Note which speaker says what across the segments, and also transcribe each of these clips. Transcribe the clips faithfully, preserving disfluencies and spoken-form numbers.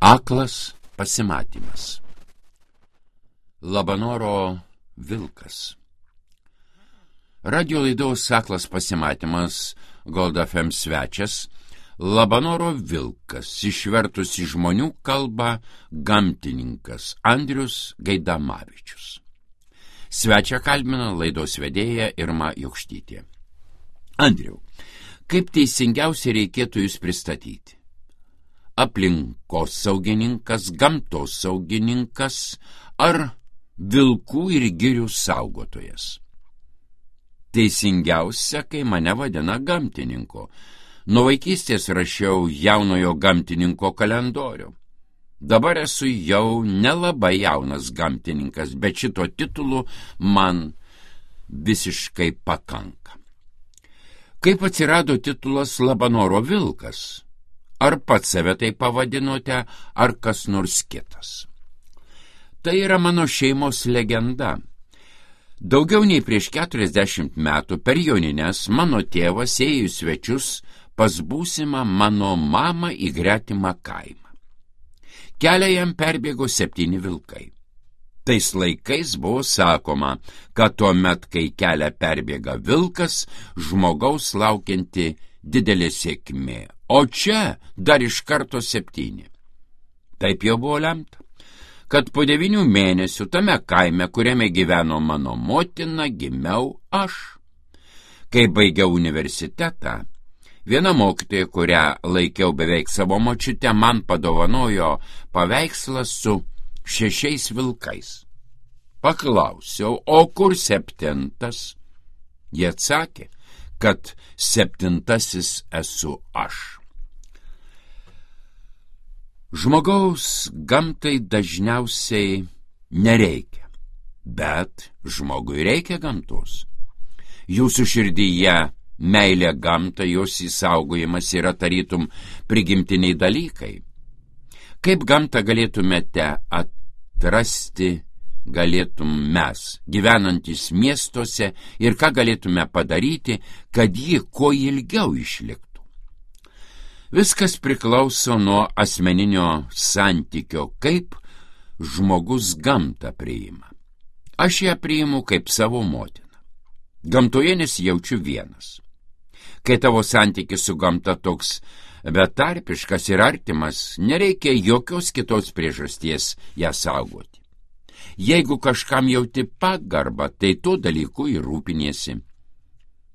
Speaker 1: Aklas pasimatymas. Labanoro vilkas. Radio laidos Aklas pasimatymas Gold F M svečias Labanoro vilkas, išvertus į žmonių kalbą gamtininkas Andrius Gaidamavičius. Svečią kalbina laidos vedėja Irma Jokštytė. Andriau, kaip teisingiausiai reikėtų jūs pristatyti? Aplinkosaugininkas, gamtosaugininkas ar vilkų ir girių saugotojas? Teisingiausia, kai mane vadina gamtininku. Nuo vaikystės rašiau jaunojo gamtininko kalendorių. Dabar esu jau nelabai jaunas gamtininkas, bet šito titulu man visiškai pakanka. Kaip atsirado titulas Labanoro vilkas? Ar pats save tai pavadinote, ar kas nors kitas? Tai yra mano šeimos legenda. Daugiau nei prieš keturiasdešimt metų per jonines mano tėvas ėjo į svečius pas būsimą mano mamą į gretimą kaimą. Kelią jam perbėgo septyni vilkai. Tais laikais buvo sakoma, kad tuomet, kai kelią perbėga vilkas, žmogaus laukianti didelė sėkmė, o čia dar iš karto septyni. Taip jau buvo lemta, kad po devynių mėnesių tame kaime, kuriame gyveno mano motina, gimiau aš. Kai baigiau universitetą, viena mokytoja, kurią laikiau beveik savo močiutę, man padovanojo paveikslą su šešiais vilkais. Paklausiau, o kur septintas? Jie atsakė, kad septintasis esu aš. Žmogaus gamtai dažniausiai nereikia, bet žmogui reikia gamtos. Jūsų širdyje meilė gamtai, jos įsaugojimas yra tarytum prigimtiniai dalykai. Kaip gamtą galėtumėte atrasti, galėtum mes, gyvenantis miestuose, ir ką galėtume padaryti, kad ji kuo ilgiau išliktų? Viskas priklauso nuo asmeninio santykio, kaip žmogus gamtą priima. Aš ją priimu kaip savo motiną. Gamtoje nesijaučiu vienas. Kai tavo santykis su gamta toks betarpiškas ir artimas, nereikia jokios kitos priežasties ją saugoti. Jeigu kažkam jauti pagarbą, tai tuo dalyku ir rūpiniesi.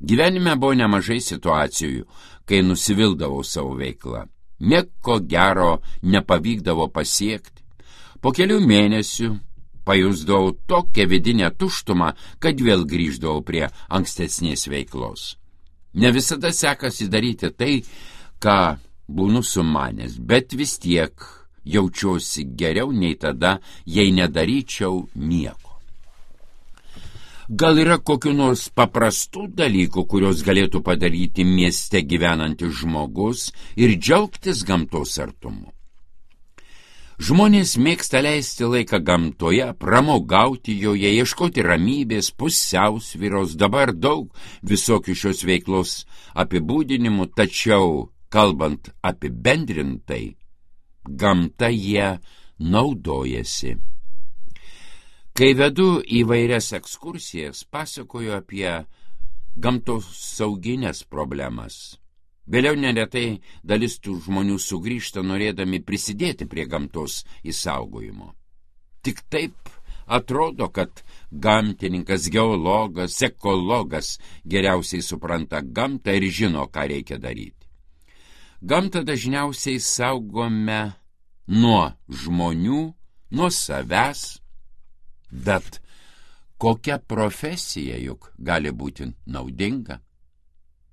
Speaker 1: Gyvenime buvo nemažai situacijų, kai nusivildavau savo veiklą. Nieko gero nepavykdavo pasiekti. Po kelių mėnesių pajusdavau tokią vidinę tuštumą, kad vėl grįždavau prie ankstesnės veiklos. Ne visada sekasi daryti tai, ką būnu sumanęs, bet vis tiek jaučiuosi geriau nei tada, jei nedaryčiau nieko. Gal yra kokių nors paprastų dalykų, kurios galėtų padaryti mieste gyvenantis žmogus ir džiaugtis gamtos artumu? Žmonės mėgsta leisti laiką gamtoje, pramogauti joje, ieškoti ramybės, pusiausvyros, dabar daug visokių šios veiklos apibūdinimų, tačiau, kalbant apibendrintai, gamta jie naudojasi. Kai vedu įvairias ekskursijas, pasakoju apie gamtos sauginės problemas. Vėliau neretai dalis tų žmonių sugrįžta norėdami prisidėti prie gamtos išsaugojimo. Tik taip atrodo, kad gamtininkas, geologas, ekologas geriausiai supranta gamtą ir žino, ką reikia daryti. Gamtą dažniausiai saugome nuo žmonių, nuo savęs, bet kokia profesija juk gali būti naudinga?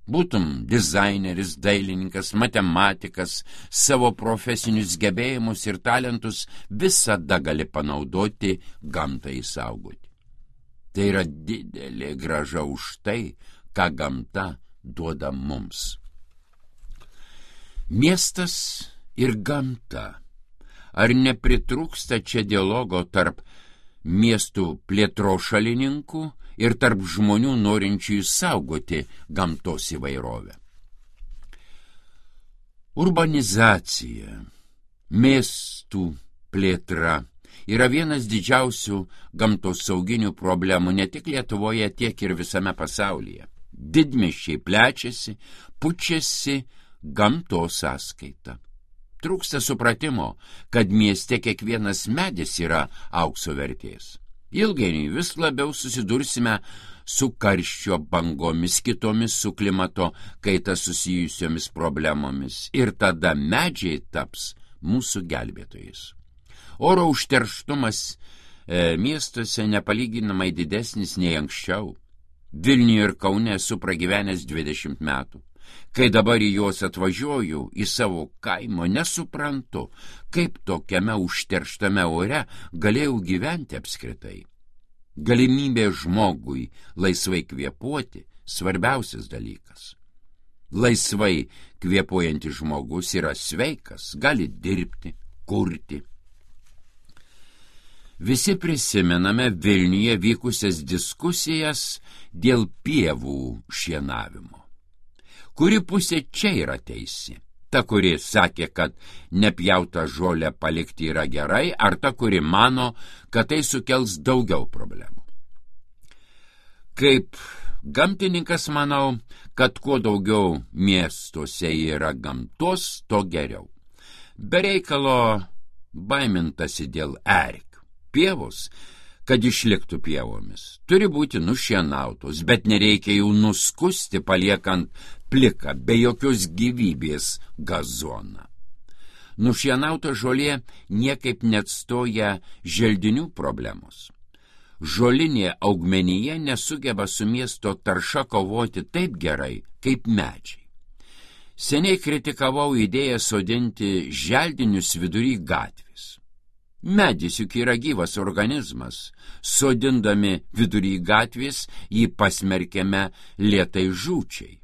Speaker 1: Būtum dizaineris, dailininkas, matematikas, savo profesinius gebėjimus ir talentus visada gali panaudoti gamtai išsaugoti. Tai yra didelė grąža už tai, ką gamta duoda mums. Miestas ir gamta. Ar nepritrūksta čia dialogo tarp miestų plėtros šalininkų ir tarp žmonių norinčių išsaugoti gamtos įvairovę? Urbanizacija, miestų miestų plėtra yra vienas didžiausių gamtosauginių problemų ne tik Lietuvoje, tiek ir visame pasaulyje. Didmiesčiai plečiasi, pučiasi gamtos sąskaita. Trūksta supratimo, kad mieste kiekvienas medis yra aukso vertės. Ilgainiui vis labiau susidursime su karščio bangomis, kitomis su klimato kaita susijusiomis problemomis ir tada medžiai taps mūsų gelbėtojais. Oro užterštumas e, miestuose nepalyginamai didesnis nei anksčiau. Vilniuje ir Kaune esu pragyvenęs dvidešimt metų. Kai dabar į juos atvažiuoju, į savo kaimo, nesuprantu, kaip tokiame užterštame ore galėjau gyventi apskritai. Galimybė žmogui laisvai kvėpuoti svarbiausias dalykas. Laisvai kvėpuojantis žmogus yra sveikas, gali dirbti, kurti. Visi prisimename Vilniuje vykusias diskusijas dėl pievų šienavimo. Kuri pusė čia yra teisi? Ta, kuri sakė, kad nepjautą žolę palikti yra gerai, ar ta, kuri mano, kad tai sukels daugiau problemų? Kaip gamtininkas manau, kad kuo daugiau miestuose yra gamtos, to geriau. Be reikalo baimintasi dėl erkių. Pievos, kad išliktų pievomis, turi būti nušienautos, bet nereikia jų nuskusti, paliekant pliką, be jokios gyvybės gazoną. Nušienauta žolė niekaip neatstoja želdinių problemos. Žolinė augmenija nesugeba su miesto tarša kovoti taip gerai, kaip medžiai. Seniai kritikavau idėją sodinti želdinius vidury gatvės. Medis juk yra gyvas organizmas. Sodindami vidury gatvės jį pasmerkėme lėtai žūčiai.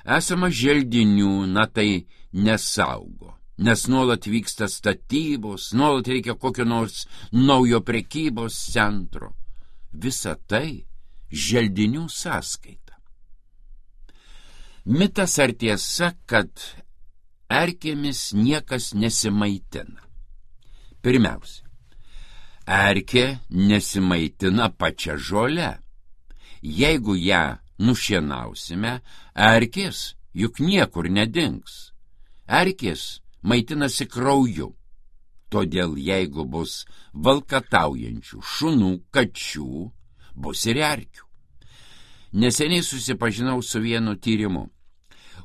Speaker 1: Esama želdinių, na tai nesaugo, nes nuolat vyksta statybos, nuolat reikia kokio nors naujo prekybos centro. Visa tai želdinių sąskaita. Mitas ar tiesa, kad erkėmis niekas nesimaitina? Pirmiausia, erkė nesimaitina pačia žole. Jeigu ją nušienausime, erkės juk niekur nedings. Erkės maitinasi krauju. Todėl jeigu bus valkataujančių šunų, kačių, bus ir erkių. Neseniai susipažinau su vienu tyrimu.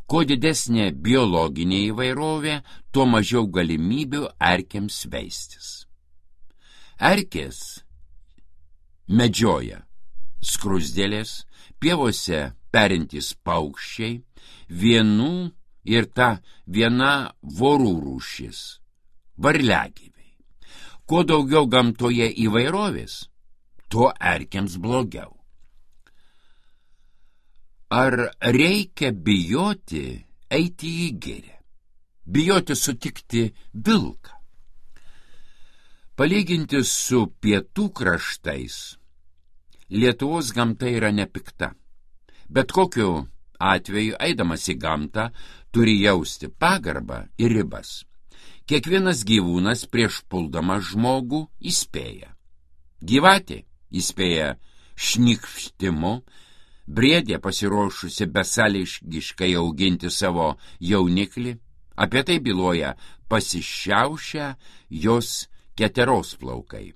Speaker 1: Kuo didesnė biologinė įvairovė, tuo mažiau galimybių erkėms veistis. Erkės medžioja skruzdėlės, pievose perintys paukščiai, vienų ir ta viena vorų rūšis – varliagyviai. Kuo daugiau gamtoje įvairovės, tuo erkėms blogiau. Ar reikia bijoti eiti į girią? Bijoti sutikti vilką? Palyginti su pietų kraštais, Lietuvos gamta yra nepikta. Bet kokiu atveju, eidamas į gamtą, turi jausti pagarbą ir ribas. Kiekvienas gyvūnas prieš puldamas žmogų įspėja. Gyvatė įspėja šnikštimu, briedė pasiruošusi besąlygiškai auginti savo jauniklį, apie tai byloja pasišiaušę jos keteros plaukai.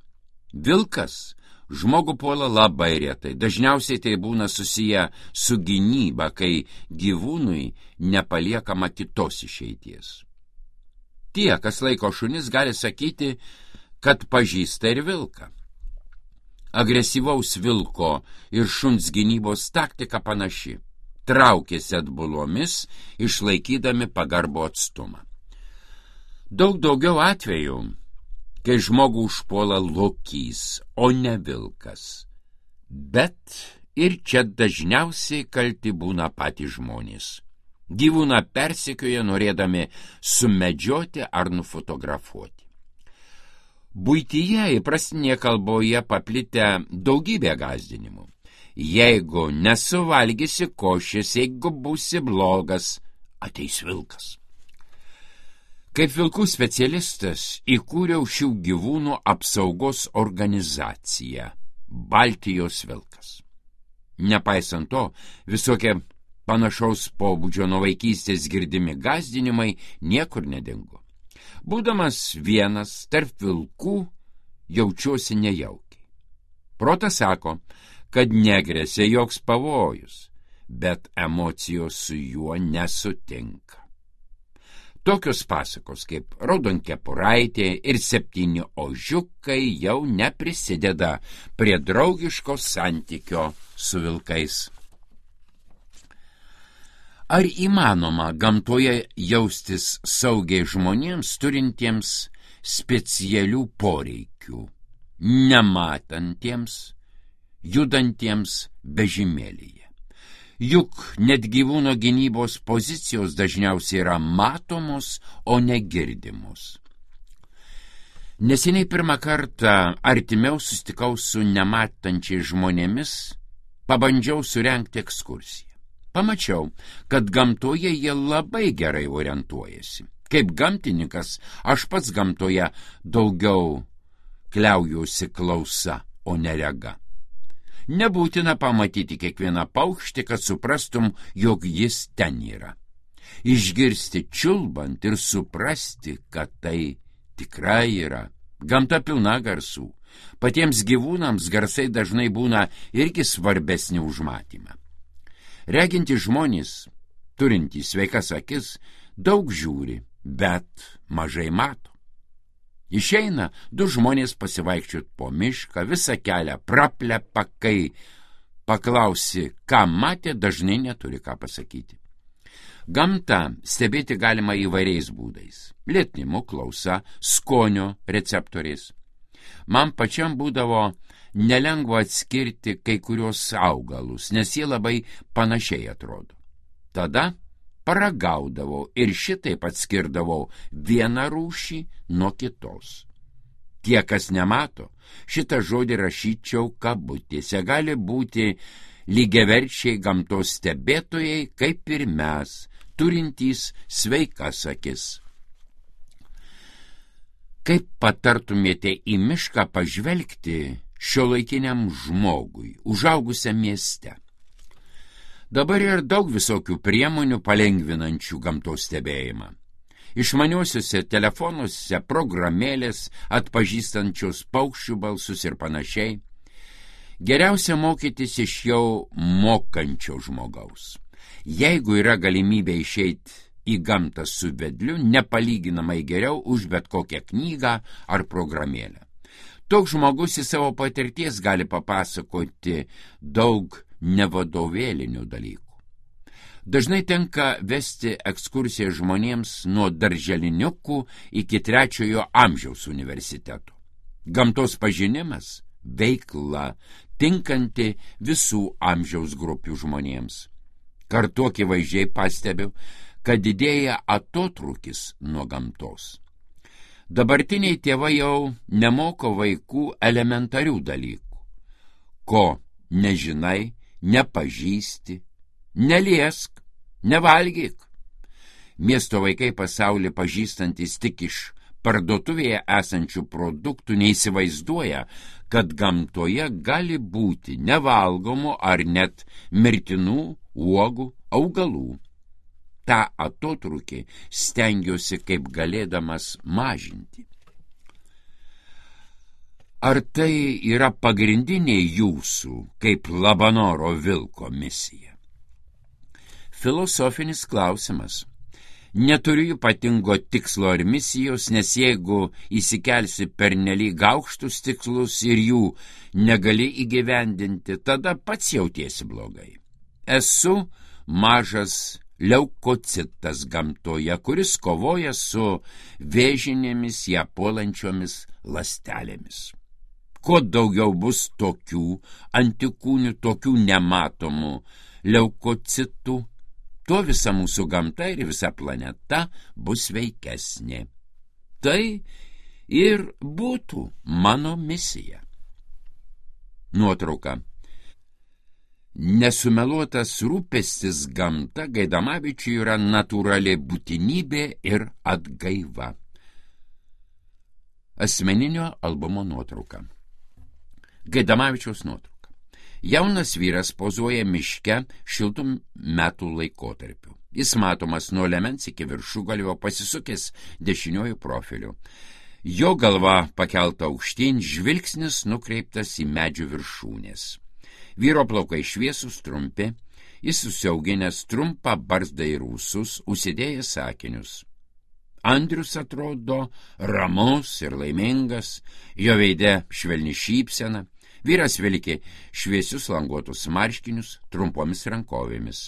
Speaker 1: Vilkas žmogų puola labai retai, dažniausiai tai būna susiję su gynyba, kai gyvūnui nepaliekama kitos išeities. Tie, kas laiko šunis, gali sakyti, kad pažįsta ir vilką. Agresyvaus vilko ir šuns gynybos taktika panaši. Traukėsi atbulomis, išlaikydami pagarbų atstumą. Daug daugiau atvejų, kai žmogų užpuola lokys, o ne vilkas. Bet ir čia dažniausiai kalti būna patys žmonės. Gyvūną persekioja norėdami sumedžioti ar nufotografuoti. Buityje įprastinėje kalboje paplitę daugybė gąsdinimų. Jeigu nesuvalgysi košės, jeigu būsi blogas, ateis vilkas. Kaip vilkų specialistas įkūriau šių gyvūnų apsaugos organizaciją Baltijos vilkas. Nepaisant to, visokie panašaus pobūdžio nuo vaikystės girdimi gąsdinimai niekur nedingo. Būdamas vienas tarp vilkų, jaučiuosi nejaukiai. Protas sako, kad negresia joks pavojus, bet emocijos su juo nesutinka. Tokios pasakos kaip Raudonkepuraitė ir septyni ožiukai jau neprisideda prie draugiško santykio su vilkais. Ar įmanoma gamtoje jaustis saugiai žmonėms turintiems specialių poreikių, nematantiems, judantiems vežimėlyje? Juk net gyvūno gynybos pozicijos dažniausiai yra matomos, o negirdimos. Neseniai pirmą kartą artimiau susitikau su nematančiais žmonėmis, pabandžiau surengti ekskursiją. Pamačiau, kad gamtoje jie labai gerai orientuojasi. Kaip gamtininkas, aš pats gamtoje daugiau kliaujuosi klausa, o ne rega. Nebūtina pamatyti kiekvieną paukštį, kad suprastum, jog jis ten yra. Išgirsti čiulbant ir suprasti, kad tai tikrai yra. Gamta pilna garsų. Patiems gyvūnams garsai dažnai būna irgi svarbesni už matymą. Reginti žmonės, turintys sveikas akis, daug žiūri, bet mažai mato. Išeina du žmonės pasivaikščiot po mišką, visą kelią praplepa, kai paklausi, ką matė, dažnai neturi ką pasakyti. Gamtą stebėti galima įvairiais būdais. Lietnimu, klausa, skonio receptoriais. Man pačiam būdavo nelengva atskirti kai kurios augalus, nes jie labai panašiai atrodo. Tada paragaudavau ir šitaip atskirdavau vieną rūšį nuo kitos. Tie, kas nemato, šitą žodį rašyčiau kabutėse, gali būti lygiaverčiai gamtos stebėtojai, kaip ir mes, turintys sveikas akis. Kaip patartumėte į mišką pažvelgti šiuolaikiniam žmogui, užaugusiam mieste? Dabar yra daug visokių priemonių palengvinančių gamtos stebėjimą. Išmaniuosiuose telefonuose programėlės atpažįstančios paukščių balsus ir panašiai. Geriausia mokytis iš jau mokančio žmogaus. Jeigu yra galimybė išeiti į gamtą su vedliu, nepalyginamai geriau už bet kokią knygą ar programėlę. Toks žmogus į savo patirties gali papasakoti daug nevadovėlinių dalykų. Dažnai tenka vesti ekskursiją žmonėms nuo darželiniukų iki trečiojo amžiaus universiteto. Gamtos pažinimas – veikla, tinkanti visų amžiaus grupių žmonėms. Kartu akivaizdžiai pastebiu, kad didėja atotrūkis nuo gamtos. Dabartiniai tėvai jau nemoko vaikų elementarių dalykų. Ko nežinai, nepažįsti, neliesk, nevalgyk. Miesto vaikai pasaulį pažįstantis tik iš parduotuvėje esančių produktų neįsivaizduoja, kad gamtoje gali būti nevalgomų ar net mirtinų uogų, augalų. Ta atotrūkį stengiuosi kaip galėdamas mažinti. Ar tai yra pagrindinė jūsų, kaip Labanoro vilko misija? Filosofinis klausimas. Neturiu ypatingo tikslo ar misijos, nes jeigu įsikelsi pernelyg aukštus tikslus ir jų negali įgyvendinti, tada pats jautiesi blogai. Esu mažas leukocitas gamtoje, kuris kovoja su vėžinėmis ją puolančiomis ląstelėmis. Kuo daugiau bus tokių antikūnių, tokių nematomų leukocitų, tuo visa mūsų gamta ir visa planeta bus sveikesnė. Tai ir būtų mano misija. Nuotrauka. Nesumeluotas rūpestis gamta Gaidamavičiui yra natūrali būtinybė ir atgaiva. Asmeninio albumo nuotrauka. Gaidamavičiaus nuotrauka. Jaunas vyras pozuoja miške šiltų metų laikotarpiu. Jis matomas nuo liemens iki viršugalvio, pasisukęs dešiniuoju profiliu. Jo galva pakelta aukštyn, žvilgsnis nukreiptas į medžių viršūnės. Vyro plaukai šviesūs trumpi, jis susiauginęs trumpą barzdą ir ūsus, užsidėjęs akinius. Andrius atrodo ramus ir laimingas, jo veide švelni šypsena, vyras vilki šviesius languotus marškinius trumpomis rankovėmis.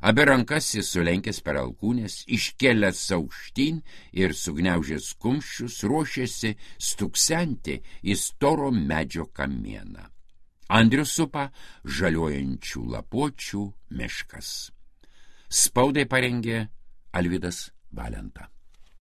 Speaker 1: Abi rankas jis sulenkęs per alkūnės, iškėlęs aukštyn ir sugniaužęs kumščius, ruošėsi stuksenti į storo medžio kamieną. Andrius supa žaliuojančių lapuočių miškas. Spaudai parengė Alvydas Valenta.